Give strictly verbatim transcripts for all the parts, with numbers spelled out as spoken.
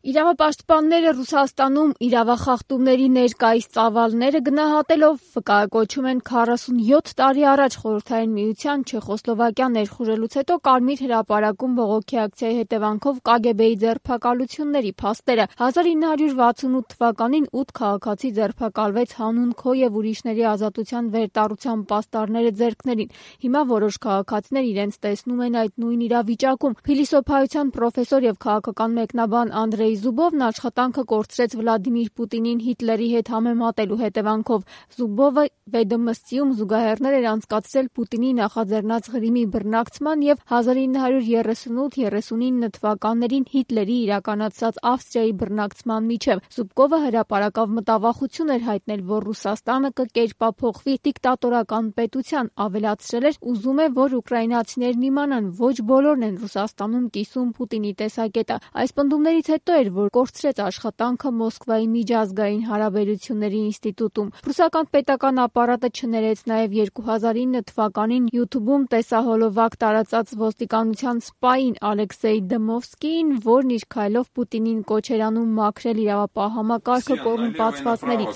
Իրավապաշտպանները Ռուսաստանում իրավախախտումների ներկայիս ծավալները գնահատելով վկայակոչում են քառասունյոթ տարի առաջ Խորհրդային Միության Չեխոսլովակիան ներխուժելուց հետո Կարմիր հրապարակում բողոքի ակցիայի հետևանքով Կ Գ Բ-ի ձերբակալությունների փաստերը։ հազար ինը հարյուր վաթսունութ թվականին ութ քաղաքացի ձերբակալվեց հանուն քո եւ ուրիշների ազատության վերտառության պաստառները ձեռքներին։ Հիմա որոշ քաղաքացիներ իրենց տեսնում են այդ նույն իրավիճակում։ Փիլիսոփայության պրոֆեսոր եւ քաղաքական մեկնաբան Անդրեյ Զուբովն աշխատանքը կորցրեց Վլադիմիր Պուտինին Հիտլերի հետ համեմատելու հետևանքով։ Զուբովը Վեդոմստիում զուգահեռներ էր անցկացրել Պուտինի նախաձեռնած Ղրիմի բռնակցման եւ հազար ինը հարյուր երեսունութ երեսունինը թվականներին Հիտլերի իրականացած Ավստրիայի բռնակցման միջև։ Զուբկովը հրապարակավ մտավախություն էր հայտնել, որ Ռուսաստանը կկերպափոխվի դիկտատորական պետության, ավելացրել էր ուզում է, որ ուկրաինացիներն իմանան, ոչ բոլորն են Ռուսաստանում կիսում Պուտինի տեսակետը։ Այս պնդումներից հետո էր, որ կորցրեց աշխատանքը Մոսկվայի միջազգային հարաբերությունների ինստիտուտում։ Ռուսական պետական ապարատը չներեց նաև երկու հազար ինը թվականին յութուբում տեսահոլովակ տարածած ոստիկանության սպային Ալեքսեյ Դմովսկիին, որն իր քայլով Պուտինին կոչ էր անում մաքրել իրավապահ համակարգը կոռումպացվածներից։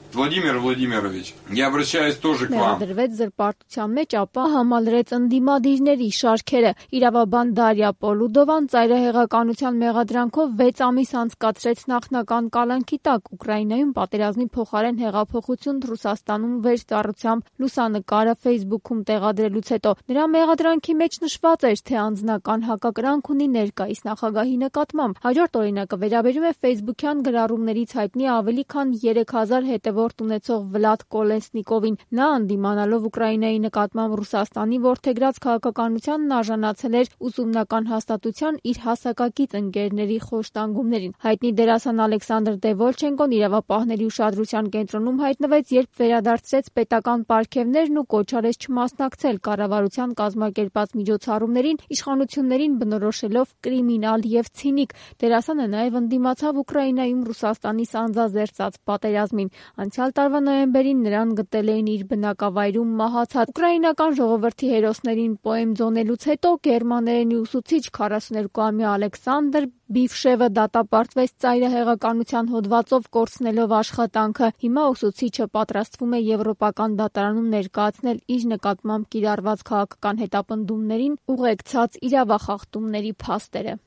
Վլադիմիր Վլադիմիրովիչ, я обращаюсь тоже к вам. Դրվեց զրպարտության մեջ, ապա համալրեց ընդդիմադիրների շարքերը։ Իրավաբան Դարիա Պոլուդովան ծայրահեղականության մեղադրանքով վեց ամիս անցկացրեց նախնական կալանքի տակ։ Ուկրաինայում պատերազմի փոխարեն հեղափոխություն Ռուսաստանում վերստառությամբ լուսանկարը Facebook-ում տեղադրելուց հետո նրա մեղադրանքի մեջ նշված էր, թե անձնական հակակրանք ունի ներկայիս նախագահի նկատմամբ։ Հաջորդ օրինակը վերաբերում է Facebook-յան գրառումներից հայտնի ավելի քան երեք հազար հետևորդ ունեցող Վլադ Կոլեսնիկովին։ Նա ընդդիմանալով Ուկրաինայի նկատմամբ Ռուսաստանի որդեգրած քաղաքականությանն արժանացել էր ուսումնական հաստատության իր հասակակից ընկերների խոշտանգումներին։ Հայտնի դերասան Ալեքսանդր Դևոլչենկոն իրավապահների ուշադրության կենտրոնում հայտնվեց, երբ վերադարձրեց պետական պարգևներն ու կոչ արեց չմասնակցել կառավարության կազմակերպած միջոցառումներին, իշխանություններին բնորոշելով կրիմինալ եւ ցինիկ։ Դերասանը նաեւ ընդդիմացավ Ուկրաինայում Ռուսաստանի սանձազերծած պատերազմին։ Անցյալ տարվա նոյեմբերին նրան գտել էին իր բնակավայրում մահացած։ Ուկրաինական ժողովրդի հերոսներին պոեմ ձոնելուց հետո գերմաներենի ուսուցիչ քառասուներկուամյա Ալեքսանդր Բիֆշևը դատապարտվեց ծայրահեղականության հոդվածով կորցնելով աշխատանքը։ Հիմա ուսուցիչը պատրաստվում է Եվրոպական դատարանում ներկայացնել իր նկատմամբ կիրառված քաղաքական հետապնդումներին ուղեկցած իրավախախտումների փաստերը։